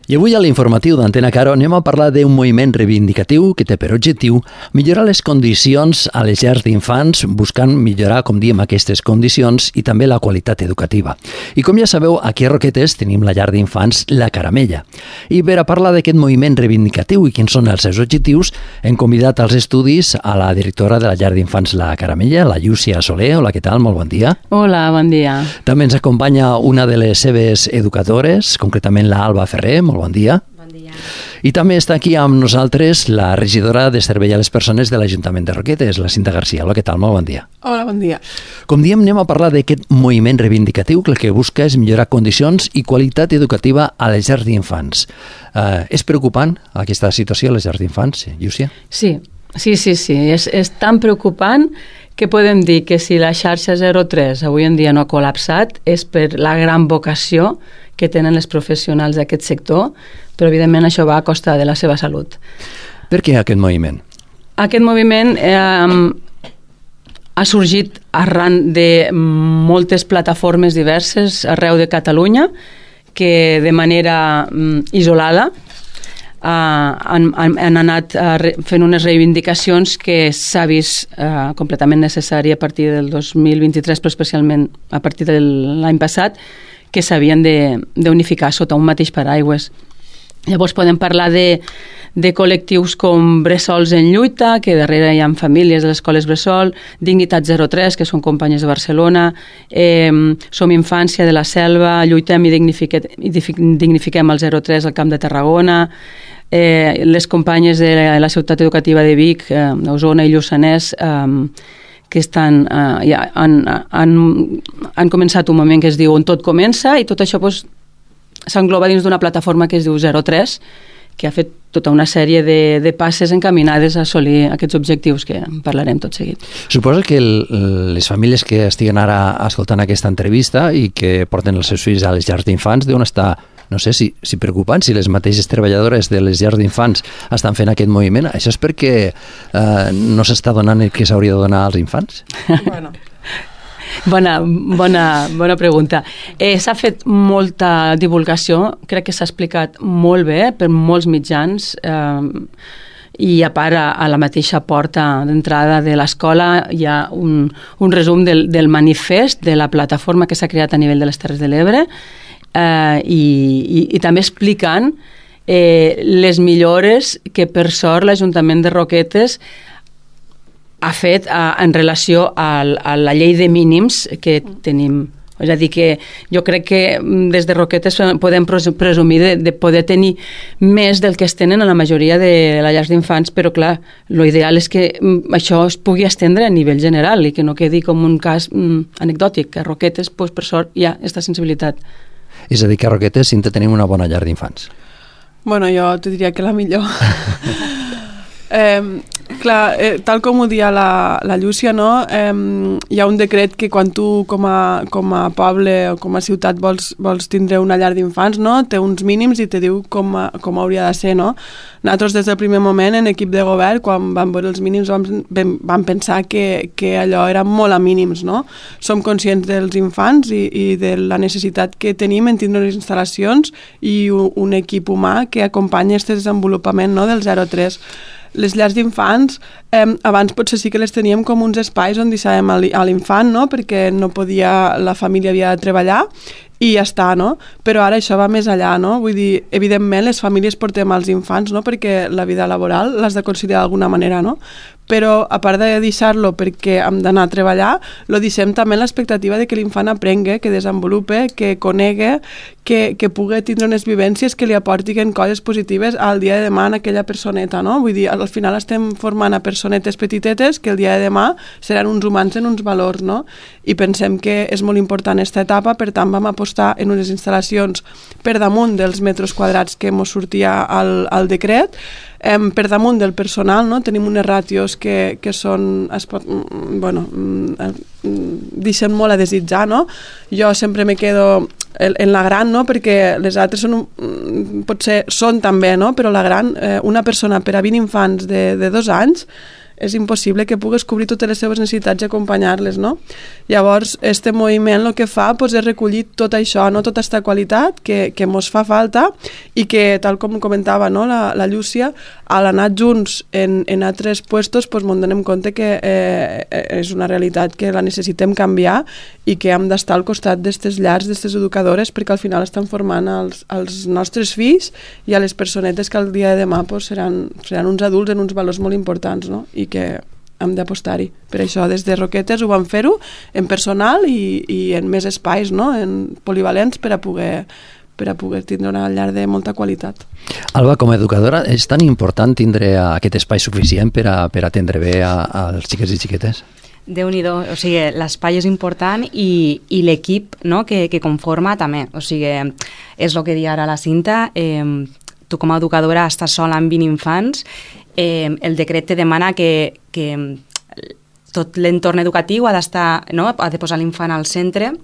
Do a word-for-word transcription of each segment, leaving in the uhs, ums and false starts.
I avui a l'informatiu d'Antena Caro anem a parlar d'un moviment reivindicatiu que té per objectiu millorar les condicions a les llars d'infants, buscant millorar, com diem, aquestes condicions i també la qualitat educativa. I com ja sabeu, aquí a Roquetes tenim la llar d'infants La Caramella. I per a parlar d'aquest moviment reivindicatiu i quins són els seus objectius, hem convidat als estudis a la directora de la llar d'infants La Caramella, la Llúcia Soler. Hola, què tal? Molt bon dia. Hola, bon dia. També ens acompanya una de les seves educadores, concretament la Alba Ferrer. Molt bon dia. Bon dia. I també està aquí amb nosaltres la regidora de Servei a les Persones de l'Ajuntament de Roquetes, la Cinta Garcia. Hola, què tal? Molt bon dia. Hola, bon dia. Com diem, anem a parlar d'aquest moviment reivindicatiu que el que busca és millorar condicions i qualitat educativa a les llars d'infants. Uh, és preocupant aquesta situació a les llars d'infants, Llúcia? Sí, sí, sí, sí. És, és tan preocupant que podem dir que si la xarxa zero tres avui en dia no ha col·lapsat és per la gran vocació que tenen els professionals d'aquest sector, però evidentment això va a costa de la seva salut. Per què aquest moviment? Aquest moviment eh, ha sorgit arran de moltes plataformes diverses arreu de Catalunya que de manera mm, isolada Uh, han, han, han anat uh, re, fent unes reivindicacions que s'ha vist uh, completament necessari a partir del dos mil vint-i-tres, però especialment a partir de l'any passat, que s'havien d'unificar sota un mateix paraigües. Llavors podem parlar de, de col·lectius com Bressols en Lluita, que darrere hi ha famílies de les escoles Bressol, Dignitat zero tres, que són companyes de Barcelona, eh, Som Infància de la Selva, Lluitem i, dignifique, i dignifiquem el zero tres al Camp de Tarragona, eh, les companyes de la, la ciutat educativa de Vic, eh, Osona i Lluçanès, eh, que estan, eh, ja han, han, han començat un moment que es diu On tot comença, i tot això doncs, s'engloba dins d'una plataforma que es diu zero tres, que ha fet tota una sèrie de, de passes encaminades a assolir aquests objectius que en parlarem tot seguit. Suposo que el, les famílies que estiguen ara escoltant aquesta entrevista i que porten els seus fills a les llars d'infants deuen estar, no sé si, si preocupant, si les mateixes treballadores de les llars d'infants estan fent aquest moviment. Això és perquè eh, no s'està donant el que s'hauria de donar als infants? Bueno. Bona, bona, bona pregunta. Eh, s'ha fet molta divulgació, crec que s'ha explicat molt bé per molts mitjans, eh, i a part a, a la mateixa porta d'entrada de l'escola hi ha un, un resum del, del manifest de la plataforma que s'ha creat a nivell de les Terres de l'Ebre, eh, i, i, i també explicant eh, les millores que per sort l'Ajuntament de Roquetes ha fet a, en relació a, a la llei de mínims que tenim. És a dir, que jo crec que des de Roquetes podem presumir de, de poder tenir més del que es tenen a la majoria de les llars d'infants, però clar, l'ideal és que això es pugui estendre a nivell general i que no quedi com un cas mm, anecdòtic. A Roquetes, doncs, per sort, hi ha aquesta sensibilitat. És a dir, que a Roquetes sí que tenim una bona llar d'infants. Bueno, jo te diria que la millor. eh, clar, eh, tal com ho dia la, la Llúcia, no? eh, hi ha un decret que quan tu com a, com a poble o com a ciutat vols, vols tindre una llar d'infants, no? Té uns mínims i te diu com, a, com hauria de ser, no? Nosaltres des del primer moment en equip de govern, quan vam veure els mínims, vam, vam pensar que, que allò era molt a mínims, no? Som conscients dels infants i, i de la necessitat que tenim en tindre unes instal·lacions i un, un equip humà que acompanya aquest desenvolupament, no? Del zero tres. Les llars d'infants, eh, abans potser sí que les teníem com uns espais on deixàvem a l'infant, no? Perquè no podia, la família havia de treballar i ja està, no? Però ara això va més allà, no? Vull dir, evidentment les famílies portem els infants, no? Perquè la vida laboral l'has de considerar d'alguna manera, no? Però a part de deixar-lo perquè hem d'anar a treballar, lo deixem també l'expectativa de que l'infant aprengui, que desenvolupe, que conegui, que, que pugui tindre unes vivències que li aportin coses positives al dia de demà en aquella personeta, no? Vull dir, al final estem formant a personetes petitetes que el dia de demà seran uns humans en uns valors, no? I pensem que és molt important aquesta etapa, per tant vam apostar en unes instal·lacions per damunt dels metres quadrats que ens sortia al, al decret, eh, per damunt del personal, no? Tenim unes ràtios que, que són, es pot, bueno, deixen molt a desitjar, no? Jo sempre me quedo en la gran, no? Perquè les altres són, potser són també, no? Però la gran, eh, una persona per a vint infants de, de dos anys és impossible que pugues cobrir totes les seves necessitats i acompanyar-les, no? Llavors, este moviment el que fa pues, és recollir tot això, no? Tota aquesta qualitat que, que mos fa falta i que, tal com comentava no? la, la Llúcia, a l'anar junts en, en altres puestos pues, mos donem compte que eh, és una realitat que la necessitem canviar i que hem d'estar al costat d'aquestes llars, d'aquestes educadores, perquè al final estan formant els, els nostres fills i a les personetes que el dia de demà pues, seran, seran uns adults en uns valors molt importants, no? I que hem d'apostar-hi. Per això, des de Roquetes ho vam fer-ho en personal i, i en més espais, no? En polivalents per a poder per a poder tindre una llar de molta qualitat. Alba, com a educadora, és tan important tindre aquest espai suficient per a, per atendre bé als xiquets i xiquetes? Déu-n'hi-do, o sigui, l'espai és important i, i l'equip no, que, que conforma també, o sigui, és el que dia ara la Cinta, eh, tu com a educadora estàs sola amb vint infants, eh, el decret te demana que, que tot l'entorn educatiu ha d'estar, no, ha de posar l'infant al centre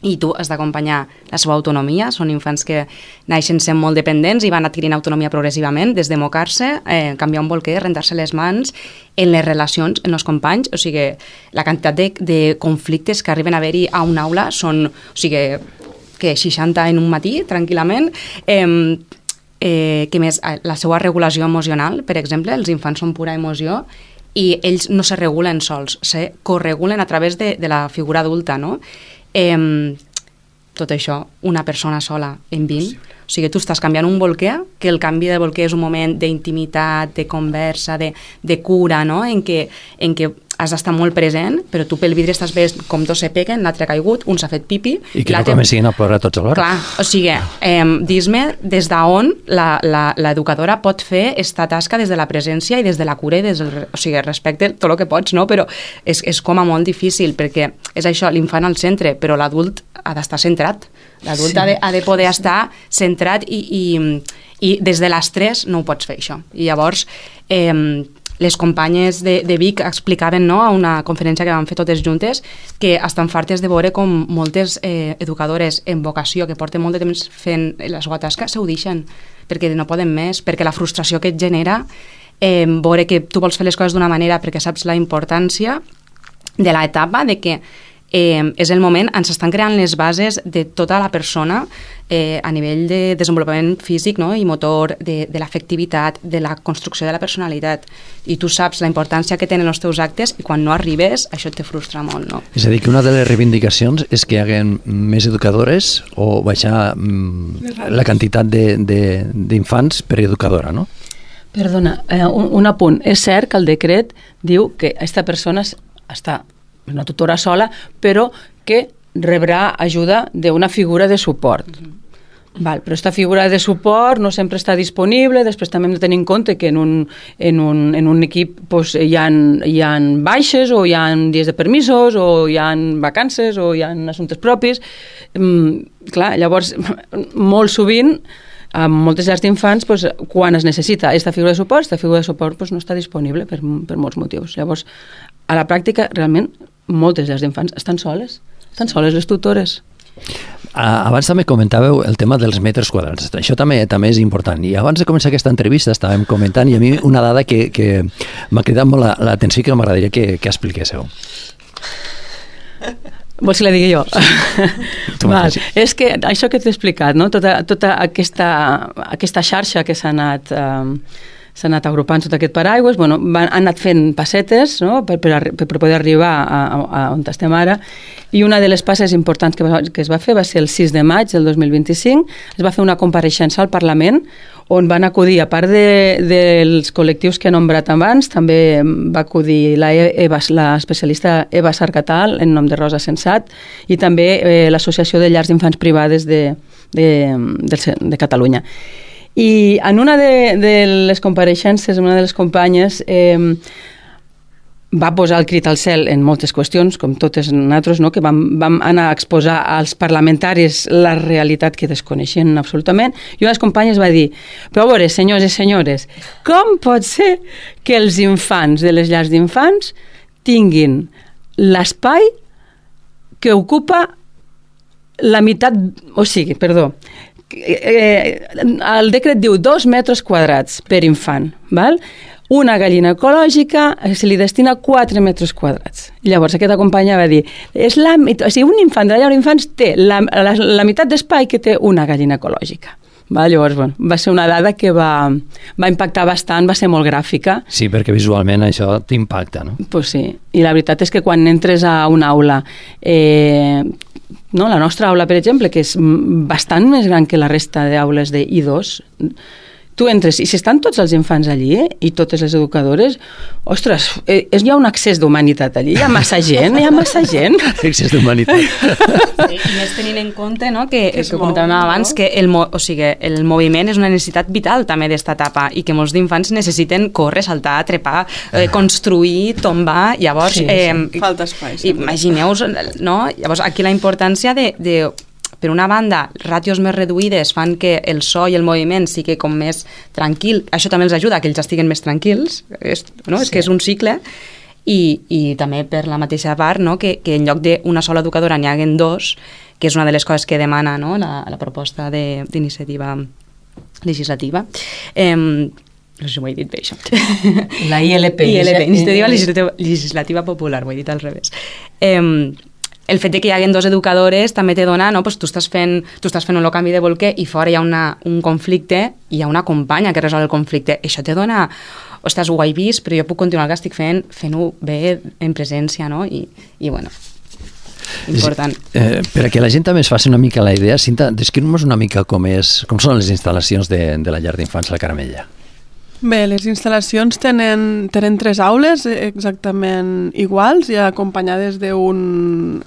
i tu has d'acompanyar la seva autonomia. Són infants que naixen sent molt dependents i van adquirint autonomia progressivament, des de mocar-se, eh, canviar un bolquer, rentar-se les mans, en les relacions, en els companys. O sigui, la quantitat de, de conflictes que arriben a haver-hi a una aula són, o sigui, que seixanta en un matí, tranquil·lament. Eh, eh, que més, la seva regulació emocional, per exemple, els infants són pura emoció i ells no se regulen sols, se corregulen a través de, de la figura adulta, no? Eh, tot això, una persona sola en vint, o sigui, tu estàs canviant un bolquer, que el canvi de bolquer és un moment d'intimitat, de conversa, de, de cura, no? En què, en què has d'estar molt present, però tu pel vidre estàs veient com dos se peguen, l'altre ha caigut, un s'ha fet pipi... I que no comencin a plorar tots alhora. Clar, o sigui, eh, dis-me des d'on l'educadora pot fer esta tasca des de la presència i des de la cura i des del, o sigui, respecte tot el que pots, no? Però és, és com a molt difícil, perquè és això, l'infant al centre, però l'adult ha d'estar centrat. L'adult sí. ha, de, ha de poder estar centrat i, i, i des de l'estrès no ho pots fer, això. I llavors... Eh, les companyes de, de Vic explicaven no, a una conferència que vam fer totes juntes que estan fartes de veure com moltes eh, educadores en vocació que porten molt de temps fent la seva tasca s'ho deixen perquè no poden més, perquè la frustració que et genera eh, veure que tu vols fer les coses d'una manera perquè saps la importància de l'etapa de que eh, és el moment on s'estan creant les bases de tota la persona eh, a nivell de desenvolupament físic no? I motor, de, de l'afectivitat, de la construcció de la personalitat. I tu saps la importància que tenen els teus actes i quan no arribes, això te frustra molt. No? És a dir, que una de les reivindicacions és que hi haguen més educadores o baixar mm, la quantitat d'infants per educadora, no? Perdona, eh, un, un apunt. És cert que el decret diu que aquesta persona està una tutora sola, però que rebrà ajuda d'una figura de suport. Mm-hmm. Val, però aquesta figura de suport no sempre està disponible, després també hem de tenir en compte que en un, en un, en un equip pues, hi, ha, hi ha baixes o hi ha dies de permisos o hi ha vacances o hi ha assumptes propis. Mm, clar, llavors, molt sovint amb moltes llars d'infants, pues, quan es necessita aquesta figura de suport, aquesta figura de suport pues, no està disponible per, per molts motius. Llavors, a la pràctica, realment, moltes llars d'infants estan soles, estan soles les tutores. Abans també comentàveu el tema dels metres quadrats. Això també també és important. I abans de començar aquesta entrevista estàvem comentant i a mi una dada que, que m'ha cridat molt l'atenció i que m'agradaria que, que expliquéssiu. Vols que la digui jo? Val. És que això que t'he explicat, no? tota, tota aquesta, aquesta xarxa que s'ha anat... Eh, s'ha anat agrupant sota aquest paraigües, bueno, van, han anat fent passetes no? per, per, per poder arribar a, a, a on estem ara, i una de les passes importants que, va, que es va fer va ser el sis de maig del dos mil vint-i-cinc, es va fer una compareixença al Parlament on van acudir, a part de, dels col·lectius que he nombrat abans, també va acudir la Eva, l'especialista Eva Sarcatal, en nom de Rosa Sensat, i també eh, l'Associació de Llars d'Infants Privades de, de, de, de Catalunya. I en una de, de les compareixences, una de les companyes eh, va posar el crit al cel en moltes qüestions, com totes nosaltres, no? Que vam, vam anar a exposar als parlamentaris la realitat que desconeixien absolutament, i una de les companyes va dir, però a veure, senyors i senyores, com pot ser que els infants de les llars d'infants tinguin l'espai que ocupa la meitat, o sigui, perdó, Eh, el decret diu dos metres quadrats per infant, val? una gallina ecològica se li destina quatre metres quadrats. I llavors aquesta companya va dir, és la, o sigui, un infant de la llar d'infants té la, la, la meitat d'espai que té una gallina ecològica. Va, llavors, bueno, va ser una dada que va, va impactar bastant, va ser molt gràfica. Sí, perquè visualment això t'impacta, no? Pues sí, i la veritat és que quan entres a una aula, eh, no, la nostra aula, per exemple, que és bastant més gran que la resta d'aules de I dos, tu entres, i si estan tots els infants allí, eh, i totes les educadores, ostres, eh, hi ha un excés d'humanitat allí, hi ha massa gent, hi ha massa gent. Excés d'humanitat. Sí, i més tenint en compte, no, que, que, que comentàvem abans, que el, o sigui, el moviment és una necessitat vital també d'esta etapa i que molts d'infants necessiten córrer, saltar, trepar, eh, construir, tombar, llavors... Sí, eh, sí. Falta espai. Imagineu-vos, no? Llavors, aquí la importància de, de per una banda, ràtios més reduïdes fan que el so i el moviment sigui com més tranquil. Això també els ajuda, que ells estiguen més tranquils. És, no? Sí. És que és un cicle. I, i també per la mateixa part, no? que, que en lloc d'una sola educadora n'hi haguen dos, que és una de les coses que demana, no? la, la proposta d'iniciativa legislativa. Eh, no sé si ho he dit bé, això. La I L P. I L P, Iniciativa Legislativa, Legislativa Popular, ho he dit al revés. Eh, el fet de que hi haguen dos educadores també te dona, no? Pues tu estàs fent, tu estàs fent un canvi de bolquer i fora hi ha una, un conflicte i hi ha una companya que resol el conflicte. Això te dona, ostres, ho he vist, però jo puc continuar el que estic fent, fent-ho bé en presència, no? I, i bueno, important. Eh, per a que la gent també es faci una mica la idea, Cinta, descriu-nos una mica com, és, com són les instal·lacions de, de la llar d'infants La Caramella. Bé, les instal·lacions tenen, tenen tres aules exactament iguals i acompanyades d'un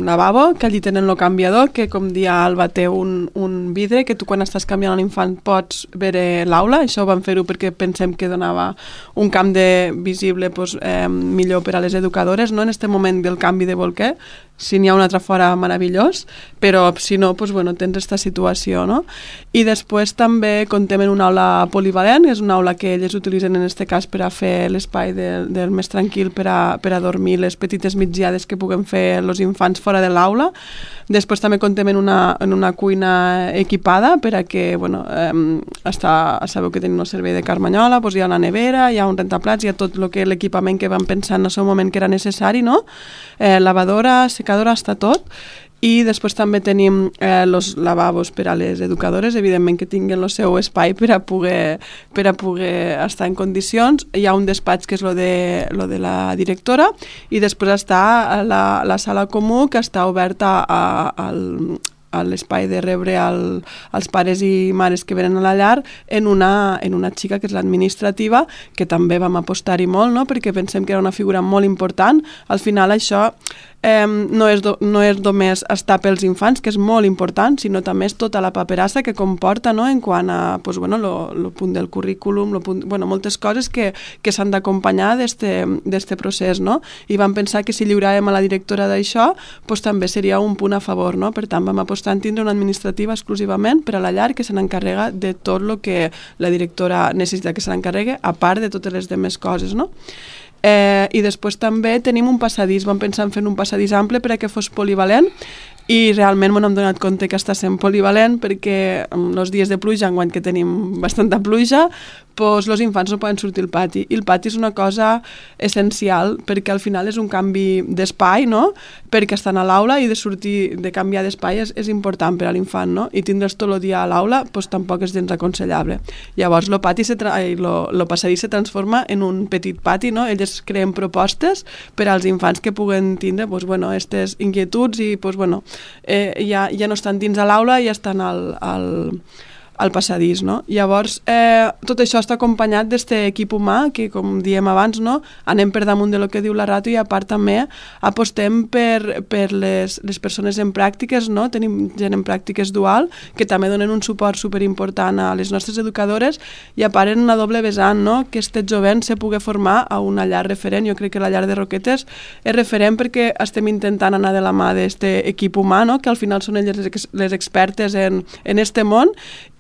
lavabo, que allí tenen el canviador, que com dia Alba té un, un vidre, que tu quan estàs canviant l'infant pots veure l'aula. Això ho vam fer-ho perquè pensem que donava un camp de visible pues, eh, millor per a les educadores, no? En aquest moment del canvi de bolquer. Si n'hi ha un altre fora, meravellós, però si no, doncs, bueno, tens aquesta situació, no? I després també contem en una aula polivalent, és una aula que elles utilitzen en aquest cas per a fer l'espai del, del més tranquil, per a, per a dormir les petites migdiades que puguem fer els infants fora de l'aula. Després també contem en una, en una cuina equipada per a que, bueno, eh, està, sabeu que tenim el servei de Carmanyola, doncs hi ha la nevera, hi ha un rentaplats, hi ha tot el que l'equipament que vam pensar en el seu moment que era necessari, no? Eh, lavadora, secadora, està tot. I després també tenim els eh, lavabos per a les educadores, evidentment que tinguin el seu espai per a poder, per a poder estar en condicions. Hi ha un despatx que és lo de, lo de la directora i després està la, la sala comú que està oberta a, al, a l'espai de rebre el, els pares i mares que venen a la llar en una, en una xica que és l'administrativa, que també vam apostar-hi molt, no? Perquè pensem que era una figura molt important. Al final això eh, no, és do, no és només estar pels infants, que és molt important, sinó també és tota la paperassa que comporta, no? En quant a pues, bueno, lo, lo punt del currículum, lo punt, bueno, moltes coses que, que s'han d'acompanyar d'este procés, no? I vam pensar que si lliuràvem a la directora d'això, pues, també seria un punt a favor, no? Per tant, vam apostar en tindre una administrativa exclusivament per a la llar que se n'encarrega de tot el que la directora necessita que se n'encarregui, a part de totes les demés coses, no? Eh, I després també tenim un passadís, vam pensar en fer un passadís ample per a que fos polivalent i realment m'hem donat compte que està sent polivalent perquè els dies de pluja, enguany que tenim bastanta pluja, doncs els infants no poden sortir al pati. I el pati és una cosa essencial perquè al final és un canvi d'espai, no? Perquè estan a l'aula i de sortir, de canviar d'espai és, és important per a l'infant, no? I tindre's tot el dia a l'aula doncs tampoc és gens aconsellable. Llavors el pati, se tra... lo, lo passadís se transforma en un petit pati, no? Elles creen propostes per als infants que puguen tindre doncs, bueno, aquestes inquietuds i doncs, bueno, eh, ja, ja no estan dins a l'aula, ja estan al... al al passadís, no? Llavors, eh, tot això està acompanyat d'aquest equip humà que, com diem abans, no? Anem per damunt de lo que diu la ràtio i a part també apostem per, per les, les persones en pràctiques, no? Tenim gent en pràctiques dual que també donen un suport superimportant a les nostres educadores i a part en una doble vessant, no? Que este jovent se pugui formar a una llar referent. Jo crec que la llar de Roquetes és referent perquè estem intentant anar de la mà d'aquest equip humà, no? Que al final són elles les, les expertes en, en este món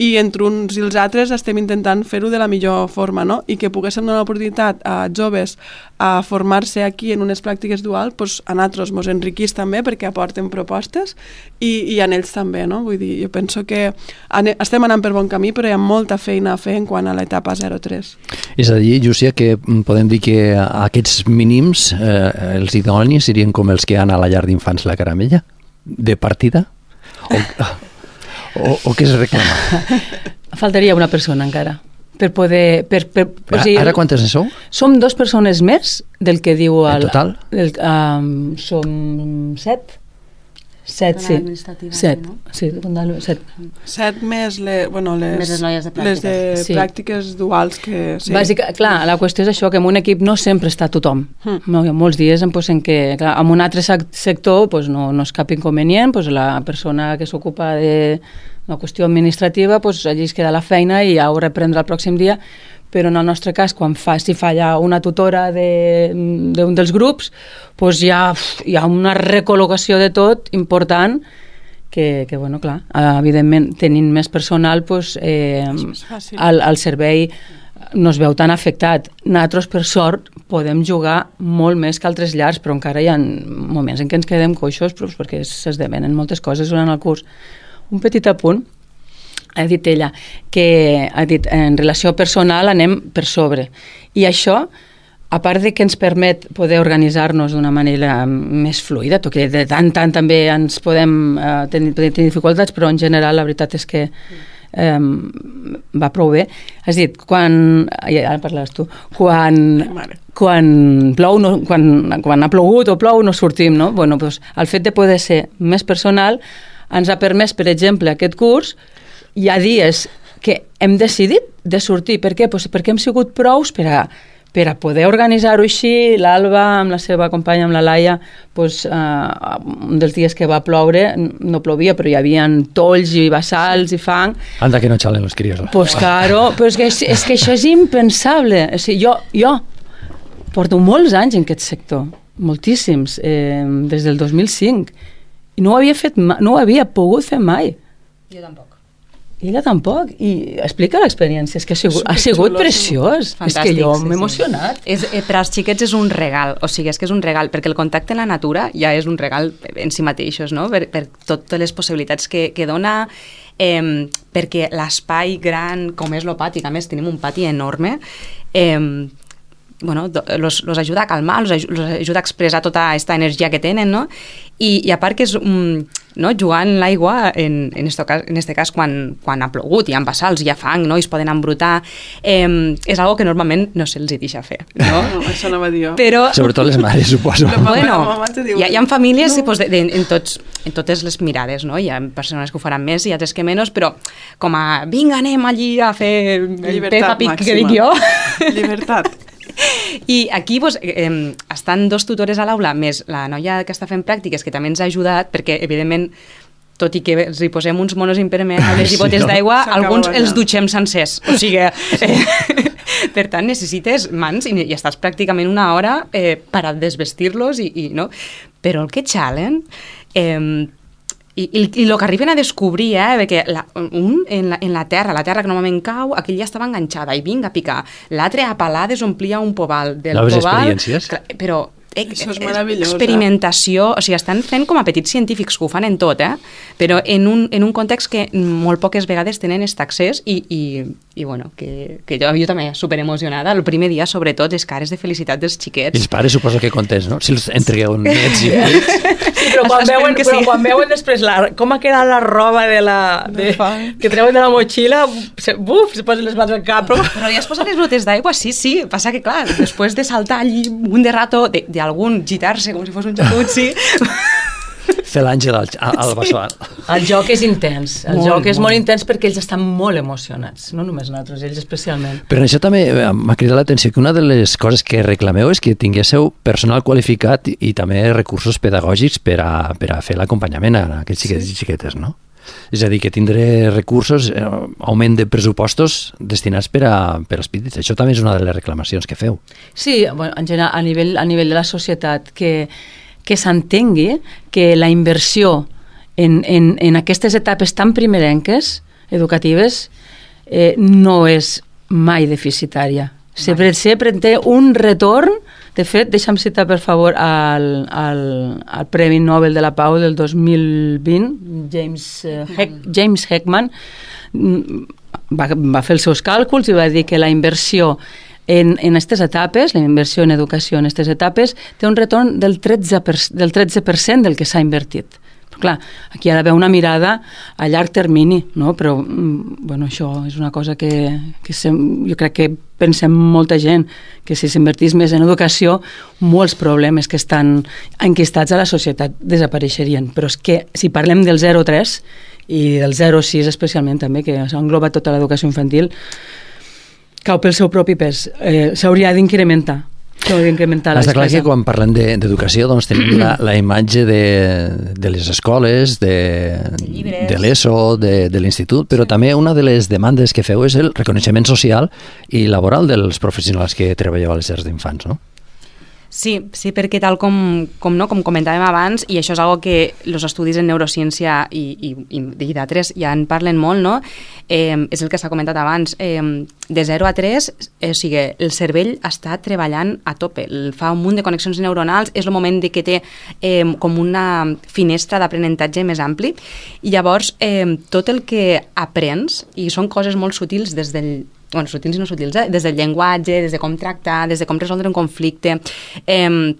i entre uns i els altres estem intentant fer-ho de la millor forma, no? I que poguéssim donar l'oportunitat a joves a formar-se aquí en unes pràctiques dual, doncs a nosaltres mos enriquís també perquè aporten propostes i, i a ells també, no? Vull dir, jo penso que ane, estem anant per bon camí, però hi ha molta feina a fer en quant a l'etapa zero tres. És a dir, Llúcia, que podem dir que aquests mínims, eh, els idonis, serien com els que han a la llar d'infants La Caramella? De partida? O, o, o què es reclama? Faltaria una persona encara per poder... Per, per, per, o sigui, ara quantes en sou? Som dos persones més del que diu... El, en total? El, um, som set. Set, sí. Set, no? Sí, set. Set més, le, bueno, les, més les noies de pràctiques. Les de sí. pràctiques duals que... Sí. Bàsica, clar, la qüestió és això, que en un equip no sempre està tothom. Mm. No, hi ha molts dies en, pues, en què, clar, en un altre sector pues, no, no és cap inconvenient, pues, la persona que s'ocupa de la qüestió administrativa, pues, allí es queda la feina i ja ho reprendrà el pròxim dia, però en el nostre cas, quan fa, si falla una tutora d'un de, dels grups, doncs hi ha, hi ha una recol·locació de tot important que, que bueno, clar, evidentment, tenint més personal, doncs, eh, el, el servei no es veu tan afectat. Nosaltres, per sort, podem jugar molt més que altres llars, però encara hi ha moments en què ens quedem coixos doncs, perquè s'esdevenen moltes coses durant el curs. Un petit apunt. Ha dit ella que ha dit, en relació personal anem per sobre. I això, a part de que ens permet poder organitzar-nos d'una manera més fluida, tot que de tant tant també ens podem eh, tenir, tenir dificultats, però en general la veritat és que eh, va prou bé. Has dit, quan... Ja, ara parles tu. Quan, quan plou, no, quan, quan ha plogut o plou, no sortim, no? Bueno, doncs, el fet de poder ser més personal ens ha permès, per exemple, aquest curs. Hi ha dies que hem decidit de sortir. Per què? Pues perquè hem sigut prous per a, per a poder organitzar-ho així. L'Alba, amb la seva companya, amb la Laia, pues, uh, un dels dies que va ploure, no plovia, però hi havia tolls i bassals i fang. Anda que no xalen los críos. Pues claro, però és que, és que això és impensable. O sigui, jo, jo porto molts anys en aquest sector, moltíssims, eh, des del dos mil cinc, i no ho havia fet mai, no ho havia pogut fer mai. Jo tampoc. I ella tampoc, i explica l'experiència, és que ha sigut, ha sigut preciós. Fantàstic, és que jo m'he sí, emocionat. Sí. És, eh, per als xiquets és un regal, o sigui, és que és un regal, perquè el contacte amb la natura ja és un regal en si mateixos, no? per, per totes les possibilitats que, que dona, eh, perquè l'espai gran, com és el pati, que a més tenim un pati enorme, eh, bueno, los, los ajuda a calmar, los, aj los ajuda a expressar tota aquesta energia que tenen, no? I, i a part que és um, no? jugar en l'aigua, en, en, esto, en este cas quan, quan ha plogut, hi ha bassals, hi ha fang, no? I es poden embrutar, eh, és algo que normalment no se'ls deixa fer, no? No, això no va dir jo. Però... Sobretot les mares, suposo. Bueno, hi ha, hi ha famílies no. pues, de, de, en, tots, en totes les mirades, no? Hi ha persones que ho faran més i altres que menys, però com a, vinga, anem allí a fer el Peppa Pig que dic jo. Llibertat. I aquí pues, eh, estan dos tutores a l'aula, més la noia que està fent pràctiques, que també ens ha ajudat, perquè, evidentment, tot i que els hi posem uns monos impermeables i botes sí, d'aigua, alguns els dutxem sencers. O sigui, eh, per tant, necessites mans i, i estàs pràcticament una hora eh, per a desvestir-los, i, i, no? Però el que xalen... Eh, I, i, i el que arriben a descobrir, eh, perquè la, un en la, en la terra, la terra que normalment cau, aquell ja estava enganxada i vinga a picar. L'altre a palades omplia un poval. Del Noves poval, experiències. Però eh, això és meravellós. Experimentació, o sigui, estan fent com a petits científics que ho fan en tot, eh? Però en un, en un context que molt poques vegades tenen aquest accés i, i, i bueno, que, que jo, jo també superemocionada. El primer dia, sobretot, les cares de felicitat dels xiquets. I els pares suposo que contents, no? Si els entregueu nets i fills. Sí, però quan veuen, que sí. però quan veuen després la, com ha quedat la roba de la, de, que treuen de la motxilla, se, buf, se posen les mans al cap. Però, però ja es posen les botes d'aigua, sí, sí. Passa que, clar, després de saltar allí un de rato, d'algun gitar-se com si fos un jacuzzi... Fer l'àngel al, al bassal. El joc és intens. El molt, joc és molt. molt intens perquè ells estan molt emocionats. No només nosaltres, ells especialment. Però això també m'ha cridat l'atenció que una de les coses que reclameu és que tinguéssiu personal qualificat i, i també recursos pedagògics per a, per a fer l'acompanyament a aquests xiquets sí. i xiquetes, no? És a dir, que tindré recursos, eh, augment de pressupostos destinats per, a, per als petits. Això també és una de les reclamacions que feu. Sí, bueno, en general, a nivell, a nivell de la societat, que que s'entengui que la inversió en, en, en aquestes etapes tan primerenques educatives eh, no és mai deficitària. Sempre, sempre té un retorn. De fet, deixa'm citar, per favor, el, el, el Premi Nobel de la Pau del dos mil vint, James, uh, Heck, James Heckman, va, va fer els seus càlculs i va dir que la inversió en aquestes etapes, la inversió en educació en aquestes etapes, té un retorn del tretze per cent del, tretze per cent del que s'ha invertit. Però, clar, aquí hi ha d'haver una mirada a llarg termini, no? Però bueno, això és una cosa que, que sem, jo crec que pensem molta gent, que si s'invertís més en educació, molts problemes que estan enquistats a la societat desapareixerien. Però és que si parlem del zero tres i del zero sis especialment també, que engloba tota l'educació infantil, cau pel seu propi pes. Eh, s'hauria d'incrementar. Està clar que quan parlem d'educació doncs tenim la, la imatge de, de les escoles, de, de l'ESO, de, de l'institut, però també una de les demandes que feu és el reconeixement social i laboral dels professionals que treballeu a les llars d'infants, no? Sí, sí, perquè tal com, com, no, com comentàvem abans, i això és algo que els estudis en neurociència i, i, i d'altres ja en parlen molt, no? Eh, és el que s'ha comentat abans. Eh, de zero a tres, eh, o sigui, el cervell està treballant a tope, el fa un munt de connexions neuronals, és el moment de que té eh, com una finestra d'aprenentatge més ampli, i llavors eh, tot el que aprens, i són coses molt sutils des del bueno, sutils i no sutils, eh? Des del llenguatge, des de com tractar, des de com resoldre un conflicte, eh,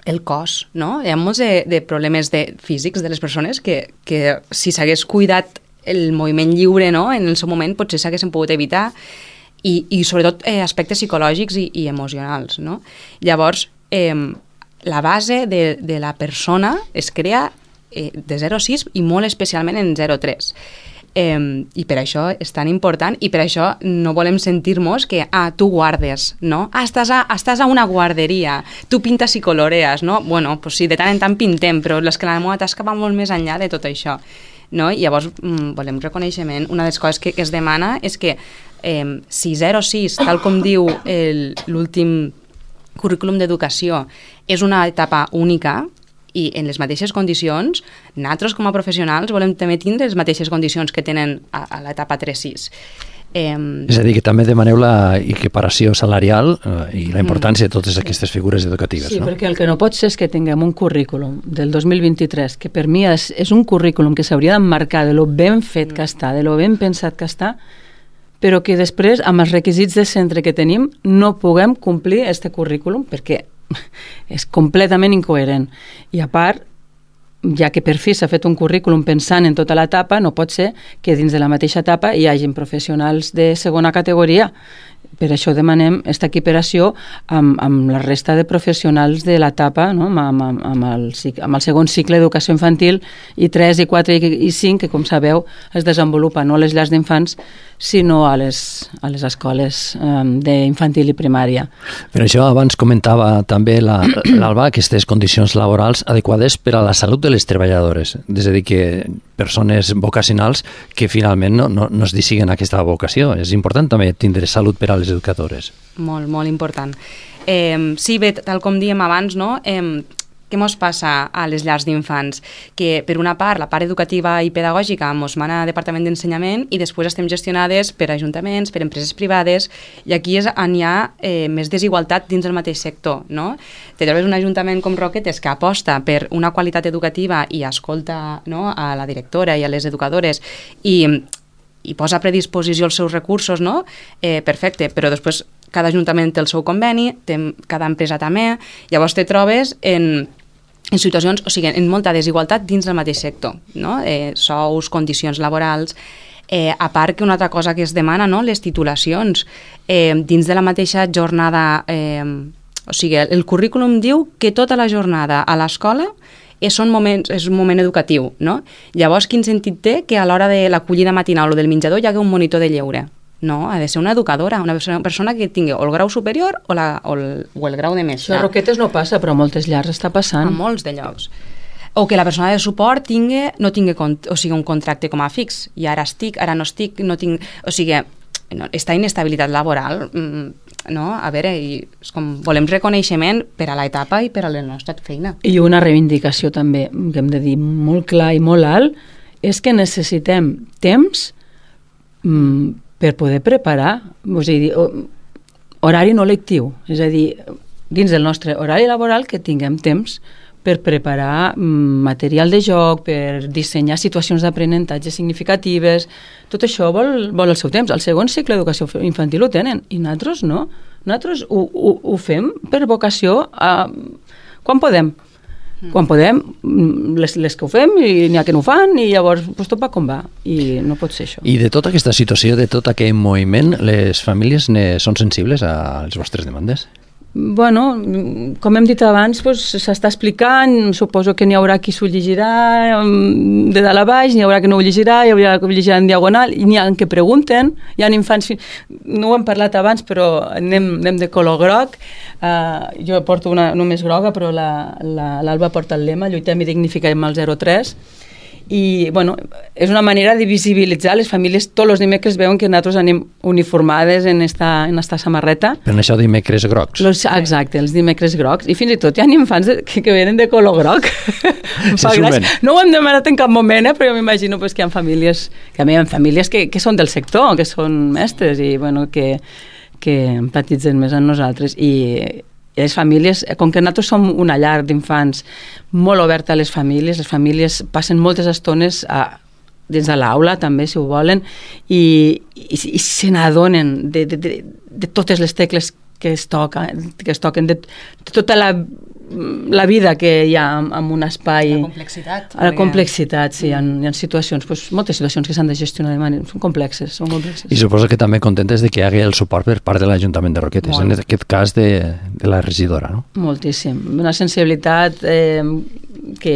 el cos, no? Hi ha molts de, de problemes de, físics de les persones que, que si s'hagués cuidat el moviment lliure, no?, en el seu moment potser s'haguessin pogut evitar, i, i sobretot eh, aspectes psicològics i, i emocionals, no? Llavors, eh, la base de, de la persona es crea eh, de zero a sis i molt especialment en zero a tres. Eh, i per això és tan important, i per això no volem sentir-nos que, ah, tu guardes, no? Ah, estàs a, estàs a una guarderia, tu pintes i colorees, no? Bueno, pues sí, de tant en tant pintem, però és que la meva tasca va molt més enllà de tot això, no? I llavors mm, volem reconeixement. Una de les coses que, que es demana és que eh, si zero a sis, tal com diu l'últim currículum d'educació, és una etapa única, i en les mateixes condicions, nosaltres com a professionals volem també tindre les mateixes condicions que tenen a, a l'etapa tres sis. Eh... És a dir, que també demaneu la equiparació salarial eh, i la importància mm. de totes aquestes figures educatives, sí, no? Sí, perquè el que no pot ser és que tinguem un currículum del dos mil vint-i-tres, que per mi és, és un currículum que s'hauria d'emmarcar de lo ben fet que està, de lo ben pensat que està, però que després, amb els requisits de centre que tenim, no puguem complir este currículum, perquè és completament incoherent. I a part, ja que per fi s'ha fet un currículum pensant en tota l'etapa, no pot ser que dins de la mateixa etapa hi hagin professionals de segona categoria. Per això demanem aquesta equiparació amb, amb la resta de professionals de l'etapa, no? amb, amb, amb, el, amb el segon cicle d'educació infantil, i tres, i quatre, i cinc, que com sabeu es desenvolupa no a les llars d'infants, sinó a les, a les escoles um, d'infantil i primària. Per això abans comentava també l'Alba aquestes condicions laborals adequades per a la salut de les treballadores, és a dir, que persones vocacionals que finalment no, no, no es decideixen aquesta vocació. És important també tindre salut per a les educadores. Molt, molt important. Eh, sí, bé, tal com diem abans, no? Eh, què mos passa a les llars d'infants? Que, per una part, la part educativa i pedagògica mos mana a Departament d'Ensenyament i després estem gestionades per ajuntaments, per empreses privades, i aquí és on hi ha eh, més desigualtat dins del mateix sector, no? Te trobes un ajuntament com Roquetes que aposta per una qualitat educativa i escolta, no?, a la directora i a les educadores i, i posa a predisposició els seus recursos, no? Eh, perfecte, però després cada ajuntament té el seu conveni, té, cada empresa també, llavors te trobes en en situacions, o sigui, en molta desigualtat dins del mateix sector, no? Eh, sous, condicions laborals, eh, a part que una altra cosa que es demana, no?, les titulacions, eh, dins de la mateixa jornada, eh, o sigui, el currículum diu que tota la jornada a l'escola és un moment, és un moment educatiu, no? Llavors, quin sentit té que a l'hora de l'acollida matinal o del menjador hi hagi un monitor de lleure? No, ha de ser una educadora, una persona que tingui o el grau superior o, la, o, el, o el grau de mestre. Això a Roquetes no passa, però a moltes llars està passant. A molts de llocs. O que la persona de suport tingui, no tingui o sigui, un contracte com a fix. I ara estic, ara no estic, no tinc... O sigui, no, esta inestabilitat laboral, no? A veure, i és com, volem reconeixement per a l'etapa i per a la nostra feina. I una reivindicació també, que hem de dir molt clar i molt alt, és que necessitem temps mm, per poder preparar, és a dir, horari no lectiu, és a dir, dins del nostre horari laboral que tinguem temps per preparar material de joc, per dissenyar situacions d'aprenentatge significatives. Tot això vol, vol el seu temps. El segon cicle d'educació infantil ho tenen, i nosaltres no. Nosaltres ho, ho, ho fem per vocació a, quan podem. Mm. Quan podem, les, les que ho fem, i n'hi ha que no ho fan, i llavors pues, tot va com va. I no pot ser això. I de tota aquesta situació, de tot aquest moviment, les famílies ne són sensibles a les vostres demandes? Bueno, com hem dit abans, pues, s'està explicant, suposo que n'hi haurà qui s'ho llegirà de dalt a baix, n'hi haurà que no ho llegirà, hi haurà que ho llegirà en diagonal, i n'hi ha que pregunten, hi ha infants, no ho hem parlat abans, però anem, anem de color groc, uh, jo porto una només groga, però l'Alba la, la, porta el lema, lluitem i dignifiquem el zero tres, i bueno, és una manera de visibilitzar les famílies. Tots els dimecres veuen que nosaltres anem uniformades en esta, en esta samarreta. Per això dimecres grocs. Los, exacte, els dimecres grocs. I fins i tot hi ha infants de, que, que venen de color groc. No ho hem demanat en cap moment, eh, però jo m'imagino pues, que hi ha famílies, que a mi hi ha famílies que, que són del sector, que són mestres i bueno, que, que empatitzen més amb nosaltres. I les famílies, com que nosaltres som una llar d'infants molt oberta a les famílies, les famílies passen moltes estones a, dins de l'aula també, si ho volen, i, i, i se n'adonen de, de, de, de totes les tecles que es toquen, que es toquen de, de tota la, la vida que hi ha en, en un espai. La complexitat. La complexitat, sí, hi ha, hi ha situacions, pues, moltes situacions que s'han de gestionar de manera, són complexes, són complexes. I suposo que també contentes de que hi hagi el suport per part de l'Ajuntament de Roquetes, Molt. En aquest cas de, de la regidora, no? Moltíssim. Una sensibilitat eh, que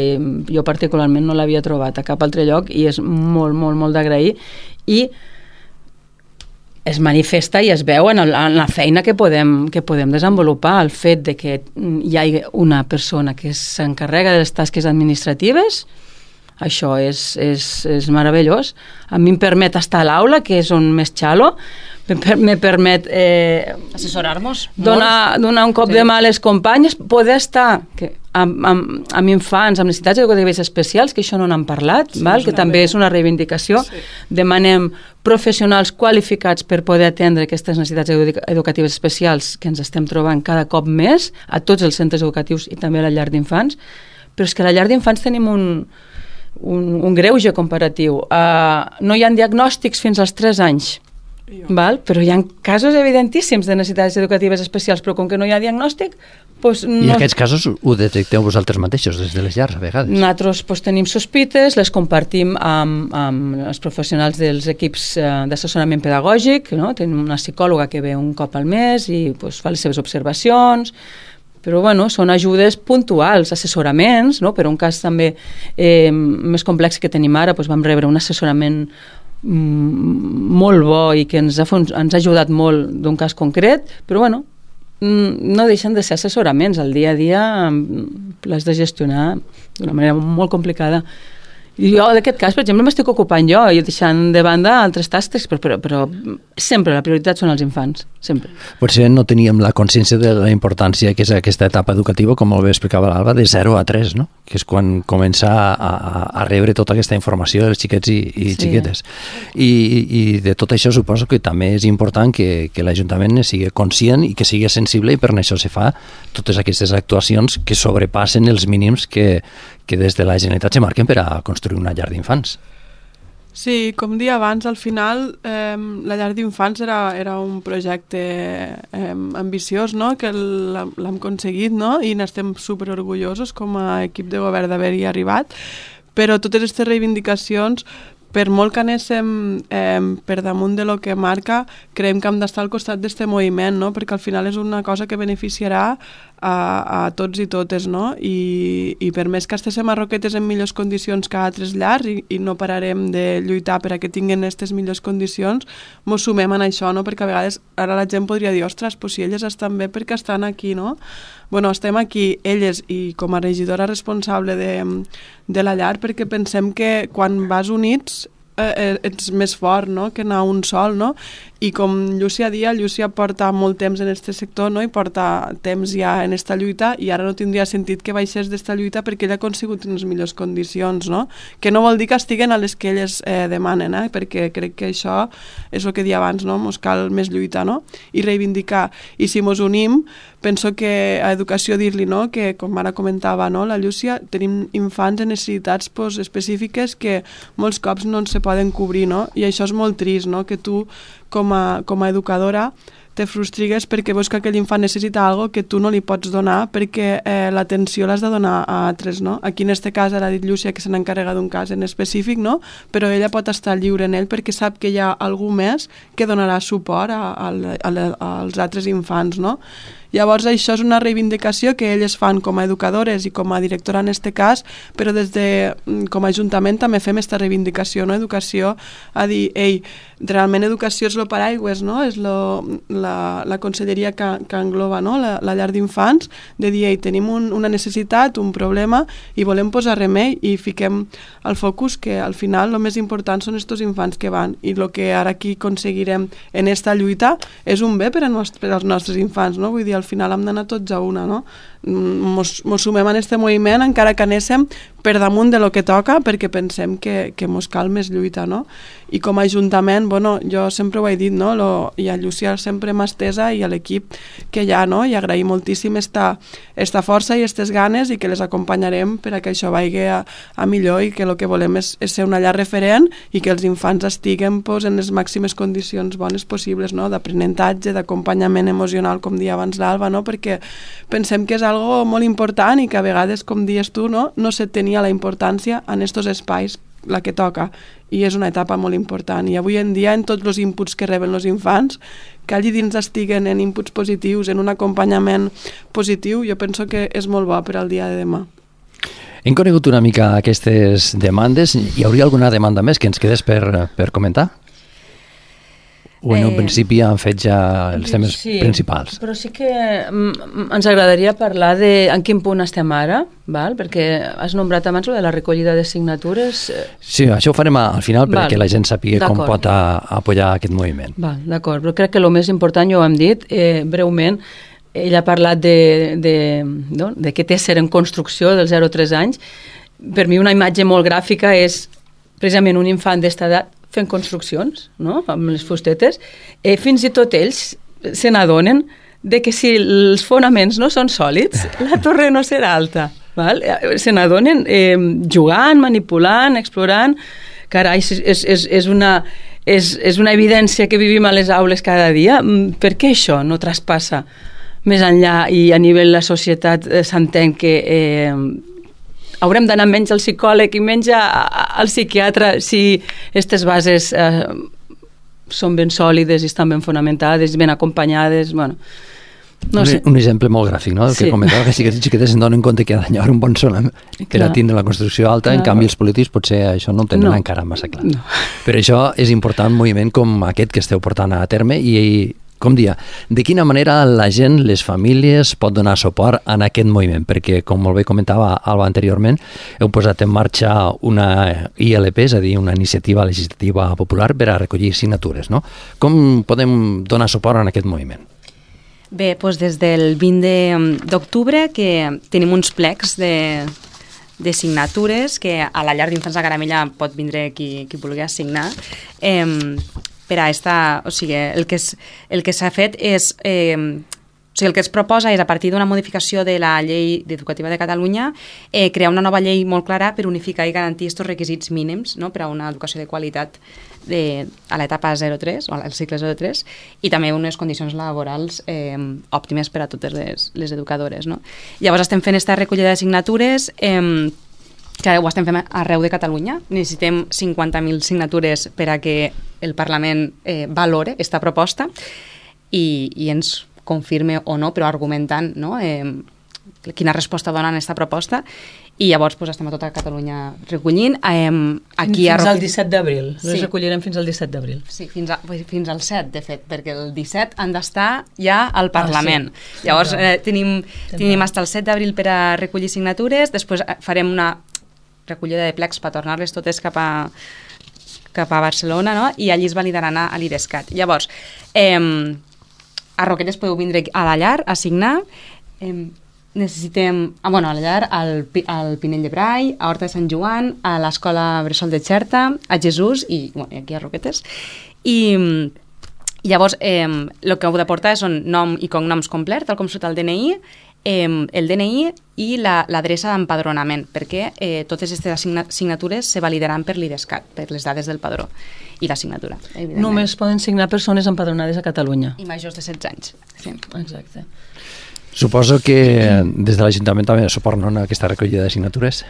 jo particularment no l'havia trobat a cap altre lloc i és molt, molt, molt d'agrair, i es manifesta i es veu en, el, en la feina que podem, que podem desenvolupar. El fet de que hi hagi una persona que s'encarrega de les tasques administratives, això és, és, és meravellós. A mi em permet estar a l'aula, que és on més xalo, me permet eh, assessorar-nos, donar, donar un cop sí. de mà a les companyes, poder estar que, amb, amb, amb infants amb necessitats educatives especials, que això no n'han parlat, sí, val? Que també és una reivindicació. Sí. Demanem professionals qualificats per poder atendre aquestes necessitats educatives especials que ens estem trobant cada cop més a tots els centres educatius i també a la llar d'infants, però és que a la llar d'infants tenim un, un, un greuge comparatiu. Uh, no hi ha diagnòstics fins als tres anys, val? Però hi ha casos evidentíssims de necessitats educatives especials, però com que no hi ha diagnòstic, doncs no... I aquests casos ho detecteu vosaltres mateixos des de les llars, a vegades? Nosaltres doncs, tenim sospites, les compartim amb, amb els professionals dels equips eh, d'assessorament pedagògic, no? Tenim una psicòloga que ve un cop al mes i doncs, fa les seves observacions, però bueno, són ajudes puntuals, assessoraments, no? Per un cas també eh, més complex que tenim ara, doncs vam rebre un assessorament molt bo i que ens ha, ens ha ajudat molt d'un cas concret, però bueno, no deixen de ser assessoraments. El dia a dia l'has de gestionar d'una manera molt complicada. I jo, d'aquest cas, per exemple, m'estic ocupant jo i deixant de banda altres tasques, però, però, però sempre la prioritat són els infants, sempre. Potser no teníem la consciència de la importància que és aquesta etapa educativa, com molt bé explicava l'Alba, de zero a tres, no? Que és quan comença a, a, a rebre tota aquesta informació dels xiquets i, i sí. xiquetes. I, I de tot això suposo que també és important que, que l'Ajuntament sigui conscient i que sigui sensible, i per això se fa totes aquestes actuacions que sobrepassen els mínims que, que des de la Generalitat se marquen per a construir una llar d'infants. Sí, com dia abans, al final eh, la llar d'infants era, era un projecte eh, ambiciós, no? Que l'hem aconseguit, no? I n'estem superorgullosos com a equip de govern d'haver-hi arribat, però totes aquestes reivindicacions, per molt que anéssim eh, per damunt de lo que marca, creiem que hem d'estar al costat d'aquest moviment, no? Perquè al final és una cosa que beneficiarà a, a tots i totes, no? I, i per més que estiguem a Roquetes en millors condicions que a altres llars i, i no pararem de lluitar per a que tinguin aquestes millors condicions, mos sumem en això, no? Perquè a vegades ara la gent podria dir, ostres, pues si elles estan bé perquè estan aquí, no? Bueno, estem aquí, elles, i com a regidora responsable de, de la llar, perquè pensem que quan vas units eh, ets més fort, no?, que anar un sol, no? I com Llúcia dia, Llúcia porta molt temps en aquest sector, no?, i porta temps ja en esta lluita, i ara no tindria sentit que baixés d'esta lluita perquè ella ha aconsegut unes millors condicions, no? Que no vol dir que estiguen a les que elles eh, demanen, eh? Perquè crec que això és el que dia abans, no? Mos cal més lluita, no? I reivindicar. I si mos unim, penso que a educació dir-li, no?, que com ara comentava, no?, la Llúcia, tenim infants amb necessitats pues, específiques que molts cops no se poden cobrir, no? I això és molt trist, no?, que tu com a, com a educadora te frustrigues perquè veus que aquell infant necessita algo que tu no li pots donar perquè eh, l'atenció l'has de donar a altres, no? Aquí en este cas ara ha dit Llúcia que se n'encarrega d'un cas en específic, no? Però ella pot estar lliure en ell perquè sap que hi ha algú més que donarà suport a, a, a, a, als altres infants, no? Llavors això és una reivindicació que elles fan com a educadores i com a directora en este cas, però des de com a ajuntament també fem aquesta reivindicació, no? Educació a dir, ei, realment educació és lo paraigües, no? És lo, la, la conselleria que, que engloba, no?, la, la llar d'infants, de dir, ei, tenim un, una necessitat, un problema i volem posar remei i fiquem el focus que al final el més important són estos infants que van i el que ara aquí aconseguirem en esta lluita és un bé per, a nost per als nostres infants, no? Vull dir, al final hem d'anar tots a una, no? Mos, mos sumem en aquest moviment encara que anéssim per damunt de lo que toca perquè pensem que, que mos cal més lluita, no? I com a ajuntament, bueno, jo sempre ho he dit, no? Lo, i a Llúcia sempre m'ha estesa i a l'equip que hi ha, no? I agraïm moltíssim esta, esta força i aquestes ganes i que les acompanyarem per a que això vagi a, a millor i que el que volem és, és ser una llar referent i que els infants estiguen pues, en les màximes condicions bones possibles, no? D'aprenentatge, d'acompanyament emocional, com dia abans l'Alba, no? Perquè pensem que és algo molt important i que a vegades, com dius tu, no, no se tenia la importància en estos espais la que toca i és una etapa molt important i avui en dia en tots els inputs que reben els infants que allí dins estiguen en inputs positius, en un acompanyament positiu, jo penso que és molt bo per al dia de demà. Hem conegut una mica aquestes demandes. Hi hauria alguna demanda més que ens quedés per, per comentar? O en un eh, principi han fet ja els temes sí, principals? Però sí que mm, ens agradaria parlar de en quin punt estem ara, val? Perquè has nombrat abans de la recollida de signatures. Sí, això ho farem al final perquè val. La gent sàpiga com pot a, a apoyar aquest moviment. D'acord, però crec que el més important, ja ho hem dit, eh, breument, ella ha parlat de, de, no? de què té ser en construcció dels zero a tres anys. Per mi una imatge molt gràfica és precisament un infant d'esta edat fent construccions, no?, amb les fustetes, eh, fins i tot ells se n'adonen de que si els fonaments no són sòlids, la torre no serà alta. Val? Se n'adonen eh, jugant, manipulant, explorant. Carai, és, és, és, una, és, és una evidència que vivim a les aules cada dia. Per què això no traspassa més enllà i a nivell de la societat eh, s'entén que eh, haurem d'anar menys al psicòleg i menys al psiquiatre si aquestes bases eh, són ben sòlides i estan ben fonamentades, ben acompanyades, bueno, no un, sé. Un exemple molt gràfic, no? El Sí. que comentava, que xiquetes i xiquetes se'n donen compte que ha d'anyar un bon sol per Clar. a tindre la construcció alta, Clar. en canvi els polítics potser això no ho tenen No. encara massa clar. No. Però això és important, un moviment com aquest que esteu portant a terme i, com dia, de quina manera la gent, les famílies, pot donar suport en aquest moviment? Perquè, com molt bé comentava Alba anteriorment, heu posat en marxa una I L P, és a dir, una iniciativa legislativa popular per a recollir signatures, no? Com podem donar suport en aquest moviment? Bé, doncs des del vint d'octubre que tenim uns plecs de, de signatures que a la llar d'infants de Caramella pot vindre qui, qui vulgui assignar. Eh, per a esta, o sigui, el que, és, el que s'ha fet és, eh, o sigui, el que es proposa és, a partir d'una modificació de la llei educativa de Catalunya, eh, crear una nova llei molt clara per unificar i garantir aquests requisits mínims, no?, per a una educació de qualitat de, a l'etapa zero tres, o al cicle zero tres, i també unes condicions laborals eh, òptimes per a totes les, les educadores, no? Llavors estem fent aquesta recollida de signatures eh, que ho estem fent arreu de Catalunya. Necessitem cinquanta mil signatures per a que el Parlament eh, valore aquesta proposta i, i ens confirme o no, però argumentant, no?, eh, quina resposta donen a aquesta proposta, i llavors pues, estem a tota Catalunya recollint. Eh, aquí fins a... al disset d'abril. Sí. Les recollirem fins al disset d'abril. Sí, fins, a, fins al set, de fet, perquè el disset han d'estar ja al Parlament. Ah, sí. Llavors eh, tenim, tenim fins al set d'abril per a recollir signatures, després farem una recollida de plecs per tornar-les totes cap a cap a Barcelona, no? I allí es validaran a, a l'IDESCAT. Llavors, eh, a Roquetes podeu vindre a la llar a signar. Eh, necessitem, ah, bueno, a la llar, al, al Pinell de Brai, a Horta de Sant Joan, a l'Escola Bressol de Xerta, a Jesús i, bueno, i aquí a Roquetes. I llavors, eh, el que heu de portar són nom i cognoms complet, tal com surt el D N I, eh, el D N I i l'adreça la, d'empadronament, perquè eh, totes aquestes signatures se validaran per l'IDESCAT, per les dades del padró i la signatura, evidentment. Només poden signar persones empadronades a Catalunya. I majors de setze anys. Sí. Exacte. Suposo que des de l'Ajuntament també suporten aquesta recollida de signatures.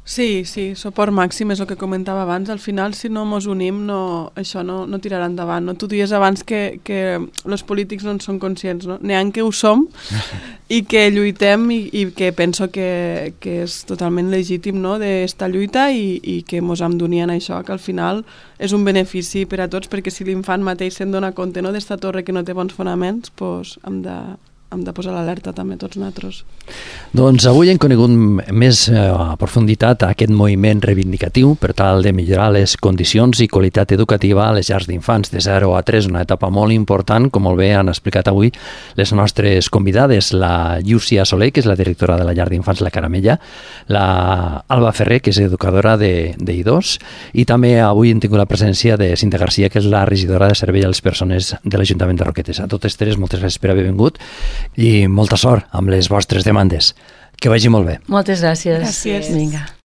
Sí, sí, suport màxim és el que comentava abans. Al final, si no mos unim, no, això no, no tirarà endavant. No? Tu dies abans que, que els polítics no en són conscients. No? N'hi ha que ho som i que lluitem i, i que penso que, que és totalment legítim, no? d'esta lluita i, i que mos hem d'unir en això, que al final és un benefici per a tots, perquè si l'infant mateix se'n dona compte, no? d'esta torre que no té bons fonaments, doncs hem de... hem de posar l'alerta també tots nosaltres. Doncs avui hem conegut més a profunditat aquest moviment reivindicatiu per tal de millorar les condicions i qualitat educativa a les llars d'infants de zero a tres, una etapa molt important, com molt bé han explicat avui les nostres convidades, la Llúcia Soler, que és la directora de la llar d'infants La Caramella, la Alba Ferrer, que és educadora de, de I dos, i també avui hem tingut la presència de Cinta Garcia, que és la regidora de Servei a les Persones de l'Ajuntament de Roquetes. A totes tres, moltes gràcies per haver vingut i molta sort amb les vostres demandes. Que vagi molt bé. Moltes gràcies. Gràcies. Vinga.